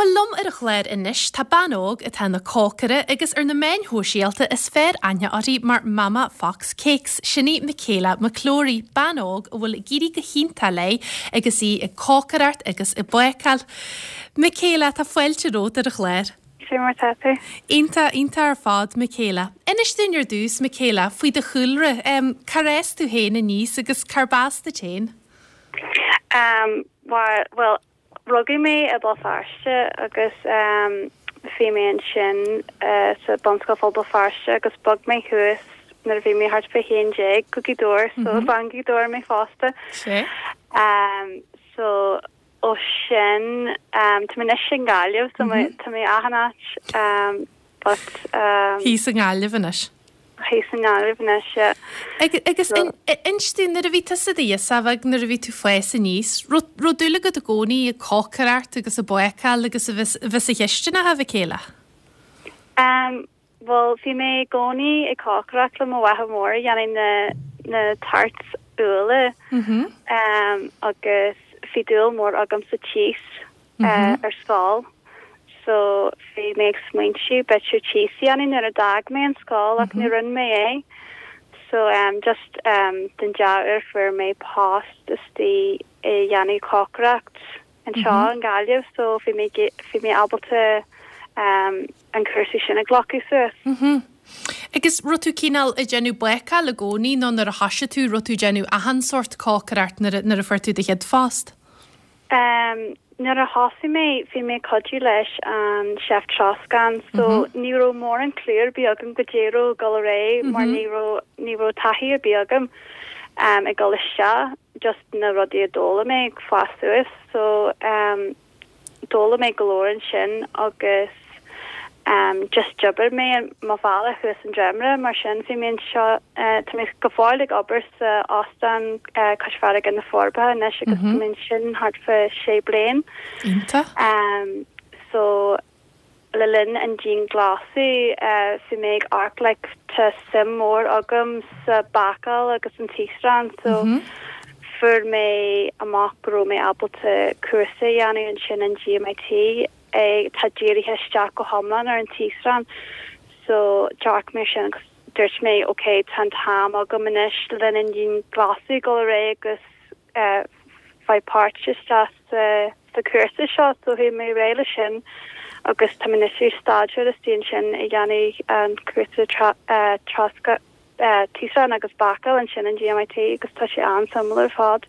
Bhuel, liom ar an chlár anois tá bean óg atá ina cócaire agus ar na meáin shóisialta is fearr aithne uirthi mar Mama Fox Cakes. Sin í Michaela McClory, bean óg a bhfuil ag éirí go hiontach léi agus í ag cócaireacht agus ag bácáil. Michaela, tá fáilte romhat ar an chlár. Cé mar tá tú? Iontach, iontach ar fad, Michaela. Inis dúinn ar dtús, Michaela, faoi do chúlra. Cár fhás tú féin aníos agus cárb as duit féin? Bhuel, Rugadh mé i Béal Feirste agus bhí mé ansin sa Bunscoil Phobal Feirste agus bhog mé thuas nuair a bhí mé thart fá 11 go Gaoth Dobhair so is bean Ghaoth Dobhair mé fosta. So ó sin tá mé anois i nGaillimh so tá mé achan áit but. Thíos i nGaillimh anois. Thíos i nGaillimh anois, yeah. Agus inis dúinn, nuair a bhí tusa i do ghirseach bheag, nuair a bhí tú ag fás aníos, raibh dúil agat i gcónaí ag cócaireacht agus ag bácáil agus a bheith sa chistineach, a Mhichaela? Bhuel, bhí mé i gcónaí ag cócaireacht le mo mháthair mhór ag déanamh na na tarts úlla agus bhí dúil mór agam sa cheese. ar scoil so bhí mé ag smaointiú b'fhéidir cheese a dhéanamh nuair a d'fhág mé an scoil ach ní rinne mé é so just den dea-uair fuair mé post istigh ag déanamh cócaireacht anseo i nGaillimh so bhí mé bhí mé ábalta an cúrsa sin a ghlacadh suas. Agus raibh tú cineál ag déanamh bácáil i gcónaí nó nuair a thoisigh tú raibh tú ag déanamh achan sórt cócaireacht nuair a nuair a fuair tú do chéad phost? Nuair a thosaigh mé, bhí mé ag cuidiú leis an chef troscán so ní raibh mórán clue ar bith agam goidé a raibh ag dul ar aghaidh mar ní raibh, ní raibh taithí ar bith agam ag dul isteach, just na rudaí a d'fhoghlaim mé ag fás suas so d'fhoghlaim mé go leor ansin agus Just d'oibir mé mo bhealach suas an dréimire, mar sin bhí mé anseo, tá mé go fóill ag obair sa óstán cois farraige na Forbacha anois agus tá mé ansin thart fá sé bliain. Iontach. So le linn an dianghlasáil bhí mé ag amharc like tá suim mór agam sa bácáil agus an taosrán so fuair mé amach go raibh mé ábalta cúrsa a dhéanamh ansin in GMIT atá dírithe isteach go hiomlán ar an taosrán so d'amharc mé sin agus dúirt mé ok tá an t-am agam anois le linn an dianghlasáil ag dul ar aghaidh agus faigh páirt isteach sa sa chúrsa seo so chuaigh mé ar aghaidh leis sin agus tá mé anois ag staidéar istigh ansin ag déanamh an cúrsa troscán taosrán agus bácáil ansin in GMIT agus tá sé an-suimiúil ar fad.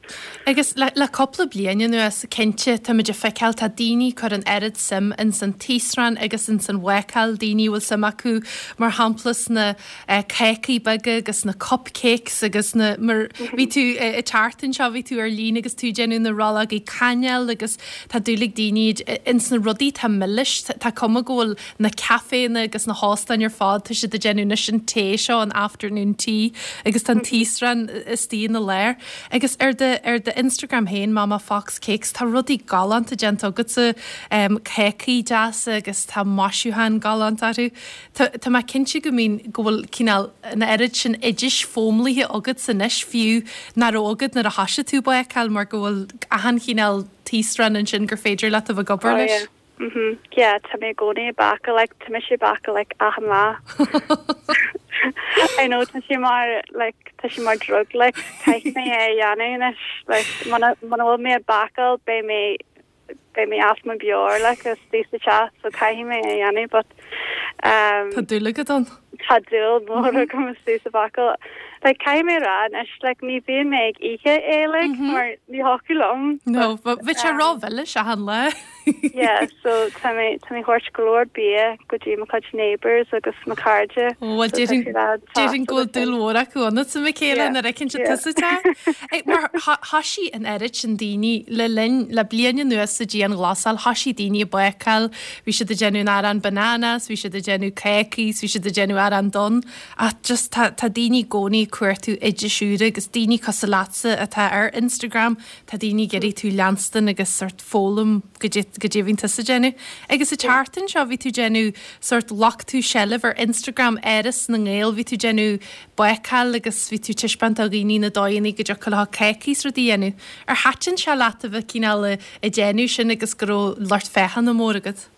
Agus le cúpla bliain anuas, cinnte, táimid ag feiceáil, tá daoine ag cur an oiread suim ins an taosrán agus ins an bhácáil, daoine a bhfuil suim acu, mar shampla, sna cácaí beaga agus na cupcakes agus na, mar, bhí tú ag teacht anseo, bhí tú ar líne agus tú ag déanamh na rollógaí cainéil agus tá dúil ag daoine ins na rudaí atá milis, tá cuma go bhfuil na caiféanna agus na hóstáin ar fad, tá siad ag déanamh anois an tae seo, an afternoon tea, agus tá an taosrán istigh ina lár. Agus ar do, ar do Instagram féin, Mama Fox Cakes, tá rudaí galánta déanta agatsa, cácaí deasa agus tá maisiúcháin galánta orthu. Tá, tá mé cinnte go mbíonn, go bhfuil cineál an oiread sin oidis foghlamtha agatsa anois fiú nach raibh agat nuair a thoisigh tú bácáil mar go bhfuil achan chineál taosrán ansin gur féidir leat a bheith ag obair Oh leis. yeah. Mhm. Yeah, tá mé i gcónaí ag bácáil, like, tá mise ag bácáil, like, achan lá. I know, tá sé mar, like, tá sé mar drug, like, caithfidh mé é a dhéanamh anois, like, muna, muna bhfuil mé ag bácáil, beidh mé, beidh mé as mo mheabhair, like, istigh sa teach, so caithfidh mé é a dhéanamh, but, um, Tá dúil agat ann? Tá dúil mhór agam istigh sa bhácáil. Like, caithfidh mé a rá anois, like, ní bhíonn mé ag ithe é, like, mar ní thiocfadh liom. No, bheadh sé ró-mhilis achan lá. Yeah, so tá mé, tá mé ag thabhairt go leor bia go dtí mo chuid neighbours agus mo chairde. Ó, bhuel, déarfainn, déarfainn go bhfuil dúil mhór acu ionat, a Mhichaela, nuair a fheiceann siad tusa te. Mar thoisigh an oiread sin daoine le linn, le bliain anuas sa dianghlasáil, thoisigh daoine ag bácáil, bhí siad ag déanamh an arán bananas, bhí siad ag déanamh cácaí, bhí siad ag déanamh arán donn, ach just tá, tá daoine i gcónaí. ag cuartú oidis úra agus daoine cosúil leatsa atá ar Instagram, tá daoine ag iarraidh tú leanstan agus sort foghlaim goidé goidé a bhíonn tusa ag déanamh. Agus an tseachtain seo bhí tú ag déanamh sort ghlac tú seilbh ar Instagram Áras na nGael, bhí tú ag déanamh bácáil agus bhí tú ag taispeáint do dhaoine na dóigheanna go dtiocfadh leo cácaí is rudaí a dhéanamh. Ar thaitin sé leat a bheith cineál ag déanamh sin agus go raibh lucht féachana mór agat?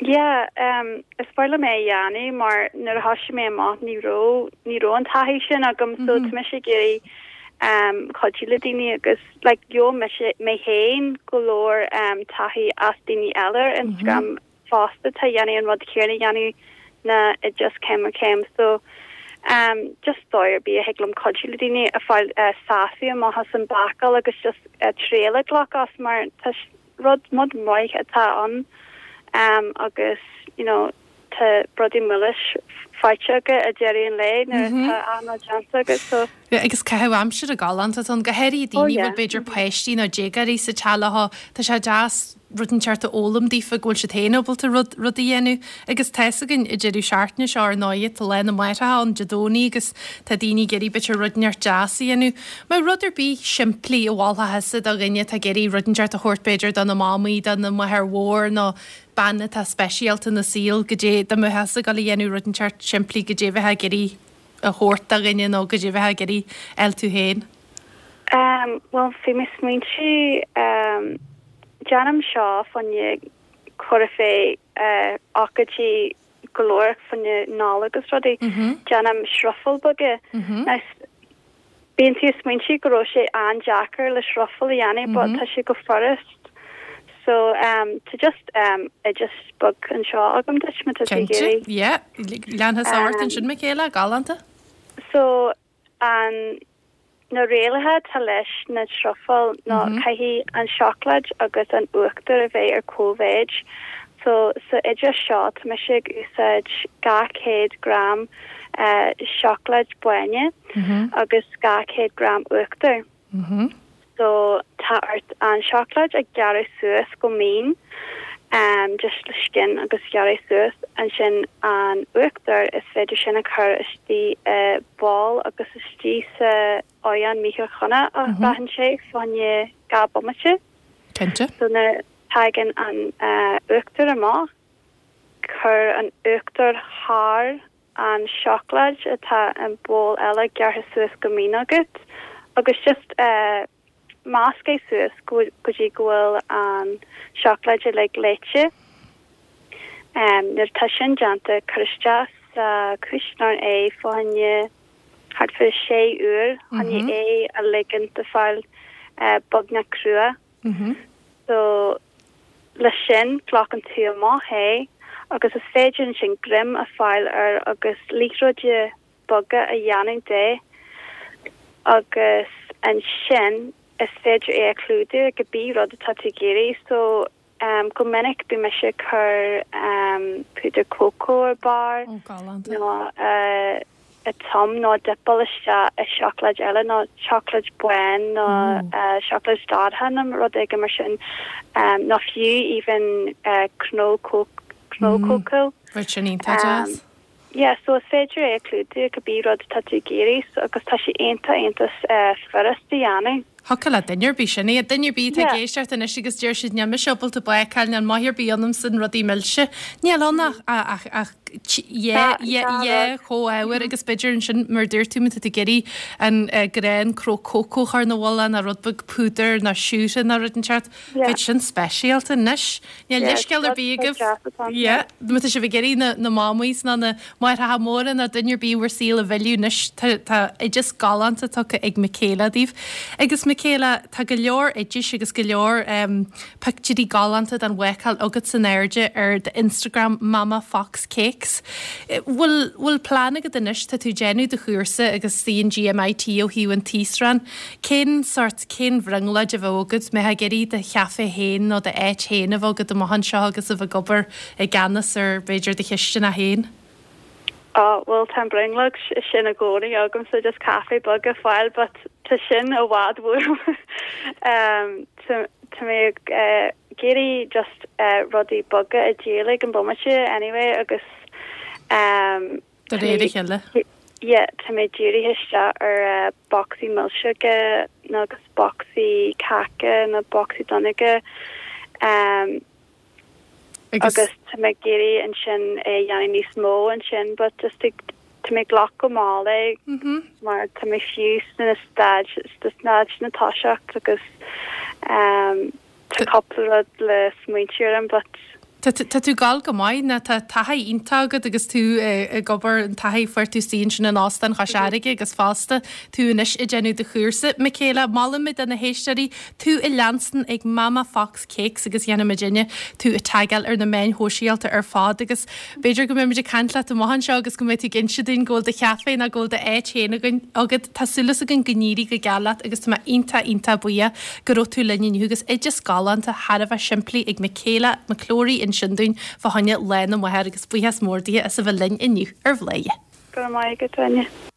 Yeah, em, is maith liom é a dhéanamh mar nuair a thoisigh mé amach ní raibh, ní raibh an taithí sin agam so tá mise ag iarraidh em cuidiú le daoine agus like gheobhaidh mise, mé féin go leor em taithí as daoine eile ar Instagram fosta atá ag déanamh an rud céanna ag déanamh na oideas céim ar chéim so em just dóigh ar bith a thig liom cuidiú le daoine a fáil eh sásamh amach as an bácáil agus just eh triail a ghlacadh as mar tá Rud rud maith atá ann agus you know tá rudaí milis faighte agat ag deireadh an lae nuair atá an rud déanta agat so. Yeah agus caitheamh aimsire galánta atá ann, go háirithe daoine a bhfuil b'fhéidir páistí nó déagóirí sa teach leo, tá sé deas rud inteacht a fhoghlaim daofa go bhfuil siad féin ábalta rud rud a dhéanamh agus tá fhios againn an deireadh seachtaine seo ar ndóighe tá Lá na Máithreacha ann Dé Domhnaigh agus tá daoine ag iarraidh b'fhéidir rud inteacht deas a dhéanamh. Mbeadh rud ar bith simplí a mholfá thusa do dhuine atá ag iarraidh rud inteacht a thabhairt b'fhéidir do na mamaí, do na máthair mhór nó bean atá speisialta ina saol, goidé, dá mbeadh tusa ag dul a dhéanamh rud inteacht simplí, goidé a bheifeá ag iarraidh a thabhairt do dhuine nó goidé a bheifeá ag iarraidh a fháil tú féin? Em, bhuel, bhí mé ag smaointiú, em, déanaim seo fá choinne cur fé, eh, ócáidí go leor fá choinne Nollag agus rudaí. Déanaim srufáil beaga. Now, bíonn tú ag smaointiú go raibh sé an-deacair le srufáil a dhéanamh but tá sé go furast. So, um, tá just, um, oideas beag anseo agam duit má tá tú ag Cinnte, iarraidh. yeah. Lean thusa ort ansin, Michaela, galánta. So, an, Na rialacha atá leis na trufail ná caithfidh an seacláid agus an uachtar a bheith ar cóimhéid. So sa oideas seo tá mise ag úsáid 200 gram seacláid báine agus 200 gram uachtair. So tá ort an seacláid a ghearradh suas go mín, just le scian agus gearradh suas, ansin an uachtar is féidir sin a chur istigh i bowl agus istigh sa oigheann micreathonna a bhraitheann sé fá choinne 2 bomaite. Cinnte. So nuair a thagann an uachtar amach, cuir an uachtar thar an seacláid atá i bowl eile gearrtha suas go mín agat agus just measc é suas go dtí go bhfuil an seacláid uilig leáite. Nuair atá sin déanta cuir isteach sa chuisneoir é fá choinne thart fá sé uair chun é a ligean do fáil beagnach crua. So, leis sin, glacann tú amach é agus is féidir ansin greim a fáil air agus liathróidí beaga a dhéanamh de agus ansin is féidir é a chlúdú le cibé rud atá tú ag iarraidh. So, go minic bíonn mise ag cur púdar cócó ar barr nó tum nó dipeáil isteach i seacláid eile nó seacláid bán nó seacláid dorcha nó rud éigin mar sin nó fiú even cnó cnó cócó. Bheadh sin iontach deas. Yeah, so is féidir é a chlúdú le cibé rud atá tú ag iarraidh so agus tá sé iontach iontach furast a dhéanamh. Thiocfadh le duine ar bith sin é. Duine ar bith atá ag éisteacht anois agus deir siad níl mise ábalta bácáil, níl maith ar bith ionamsa in rudaí milse. Níl ann ach ach ach dhá dhá chomhábhar agus b'fhéidir ansin mar a dúirt tú má tá tú ag iarraidh an grán cró cócó a chur ina mhullach nó rud beag púdair nó siúcra nó rud inteacht. Bheadh sin speisialta anois. Níl leithscéal ar bith agaibh. Yeah. Má tá sibh ag iarraidh na na mamaís nó na máithreacha móra nó duine ar bith i bhur saol a mhilleadh anois, tá tá oideas galánta tugtha ag Michaela daoibh. Agus Michaela, tá go leor oidis agus go leor em pictiúirí galánta den bhácáil agat in airde ar do Instagram Mama Fox Cakes. Bhfuil bhfuil plean agat anois, tá tú ag déanamh do chúrsa agus an GMIT ó thaobh an taosrán, Cén sórt, cén bhrionglóid a bheadh agat, mbeifeá ag iarraidh do chaifé féin nó d'áit féin a bheith agat amach anseo agus a bheith ag obair i gceannas ar, b'fhéidir, do chisteanach féin? Á, bhuel, tá an bhrionglóid sin i gcónaí agamsa, just caife beag a fáil, but tá sin i bhfad uaim. Tá mé ag iarraidh just rudaí beaga a dhíol ag an bomaite anyway agus De réir a chéile. Yeah, tá mé dírithe isteach ar bocsaí milseoga nó agus bocsaí cáca nó bocsaí donnóga agus tá mé ag iarraidh ansin é a dhéanamh níos mó ansin but just ag tá mé ag glacadh go mall é mar tá mé fiú sna staid sna staid na toiseacht agus Tá cúpla rud le smaointiú orm but. Tá tú ag gabháil go maith, ná tá taithí iontach agat agus tú ag obair, an taithí a fuair tú istigh ansin in Óstán Chois Fharraige agus fosta tú anois ag déanamh do chúrsa. Michaela, molaim do na héisteoirí tú a leanstan ag Mama Fox Cakes agus dhéanfaidh muidinne tú a tagáil ar na meáin shóisialta ar fad agus B'fhéidir go mbeimid ag caint leat amach anseo agus go mbeidh tú ag inse dúinn go bhfuil do chaifé nó go bhfuil d'áit féin agat. Tá súil againn go n-éirí go geal leat agus tá mé iontach, iontach buíoch go raibh tú linn inniu agus oideas galánta thar a bheith simplí ag Michaela McClory ansin dúinn fá choinne Lá na Máthar agus buíochas mór dithe as a bheith linn inniu ar Bhladhaire. Go raibh maith agat, Áine.